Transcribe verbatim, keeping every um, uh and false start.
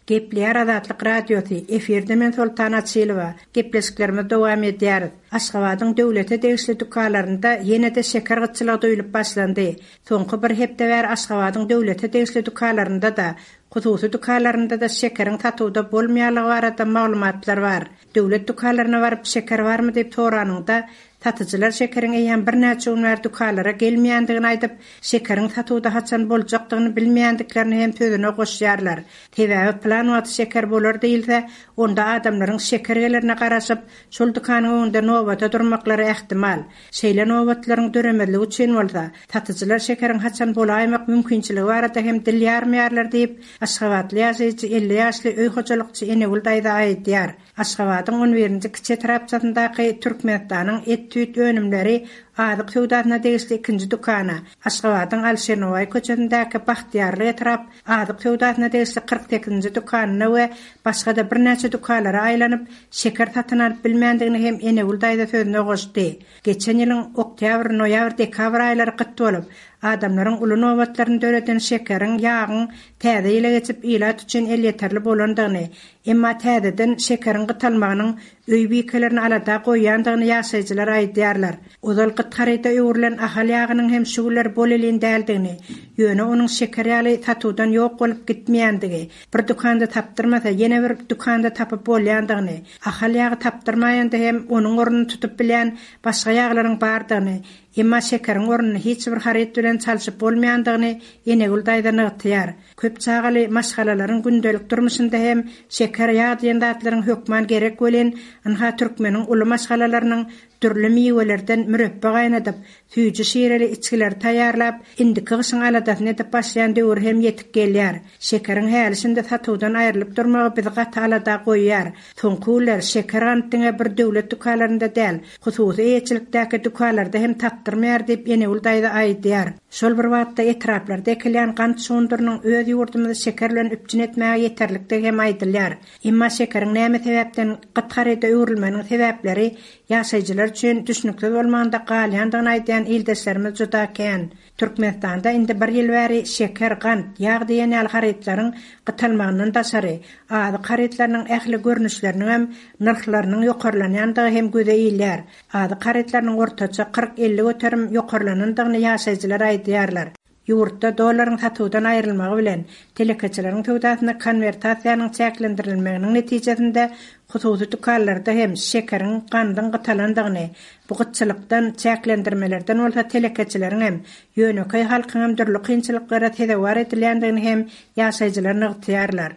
Gepleýär Azatlyk Radiosy, efirde men Soltan Açylowa. Gepleşiklerimizi dowam edýäris. Aşgabadyň döwlete degişli dükanlarynda ýene-de şeker gytçylygy duýulyp başlandy. Soňky bir hepde bäri Aşgabadyň döwlete degişli dükanlarynda-da, hususy dükanlarynda-da şekeriň satuwda bolmaýanlygy barada maglumatlar bar. Döwlet dükanlaryna baryp şeker barmy diýip soranyňda, satyjylar şekeriň eýýäm birnäçe gün bäri dükanlara gelmeýändigini aýdyp, şekeriň satuwda haçan boljakdygyny bilmeýändiklerini hem sözüne goşýarlar. Sebäbi plan wagty şeker bolar diýilse, onda adamlaryň şeker gelerine garaşyp, şol dükanyň öňünde nobata durmaklary ähtimal. Şeýle nobatlaryň döremezligi üçin bolsa, satyjylar şekeriň haçan bolaýmak mümkinçiligi barada hem dil ýarmaýarlar diýip, Aşgabatly ýaşaýjy elli ýaşly öý hojalykçy Enegül daýza aýdýar. Aşgabadyň on birinji kiçi etrapçasyndaky Türkmenistanyň et-süýt önümleri azyk söwdasyna degişli ikinji dükana, Aşgabadyň Alişir Nowaýy köçesindäki Bagtyýarlyk etrap azyk söwdasyna degişli kyrk sekizinji dükanyna we başga-da birnäçe dükanlara aýlanyp, şeker satyn alyp bilmändigini hem Enegül daýza sözüne goşdy. Geçen ýylyň oktýabr, noýabr, dekabr aýlary gyt bolup, adamlaryň uly nobatlaryny döreden şekeriň, ýagyň täze ýyla geçip ilat üçin elýeterli bolandygyny, emma täzeden şekeriň gytalmagynyň öý bikelerini alada goýýandygyny ýaşaýjylar aýdýarlar. Ozal gyt haryda öwrülen Ahal ýagynyň hem şu günler bolelin däldigini, ýöne onuň şeker ýaly satuwdan ýok bolup gitmeýändigi, bir dükanda tapdyrmasa ýene bir dükanda tapyp bolýandygyny, Ahal ýagy tapdyrmaýanda hem onuň ornuny tutup bilýän başga ýaglaryň bardygyny, emma şekeriň ornuny hiç bir haryt bilen çalşyp bolmaýandygyny Enegül daýza nygtaýar. Köp çagaly maşgalalaryň gündelik durmuşynda hem şeker, ýag diýen zatlaryň hökman gerek welin, ynha türkmeniň uly maşgalalarynyň dürli miwelerden mürepbe gaýnadyp, süýji şireli içgileri taýýarlap, indiki gyşyň aladasyny edip başlaýan döwür hem ýetip gelýär. Şekeriň häli şindi satuwdan aýrylyp durmagy bizi gaty alada goýýar. Soňky günler şeker gant diňe bir döwlet dükanlarynda däl, hususy eýeçilikdäki dükanlarda hem tapdyrmaýar diýip Enegül daýza aýdýar. Şol bir wagtda etraplarda ekilýän gant şugundyrynyň öz ýurdumyzy şeker bilen üpjün etmäge ýeterlikdigi hem aýdylýar. Emma şekeriň näme sebäpden gyt haryda öwrülmeginiň sebäpleri ýaşaýjylar üçin düşnüksiz bolmagynda galýandygyny aýdýan ildeşlerimiz juda kän. Türkmenistanda indi bir ýyl bäri şeker, gant, ýag diýen ýaly harytlaryň gytalmagyndan daşary, azyk harytlarynyň ähli görnüşleriniň hem nyrhlarynyň ýokarlanýandygy hem göze ilýär. Azyk harytlarynyň ortaça kyrk-elli göterim ýokarlanandygyny ýaşaýjylar aýdýarlar. Ýurtda dollaryň satuwdan aýrylmagy bilen telekeçileriň söwdasynda konwertasiýanyň çäklendirilmeginiň netijesinde hususy dükanlarda hem şekeriň, gandyň gytalandygyny, bu gytçylykdan, çäklendirmelerden bolsa telekeçileriň hem, ýönekeý halkyň hem dürli kynçylyklara sezewar edilýändigini hem ýaşaýjylar nygtaýarlar.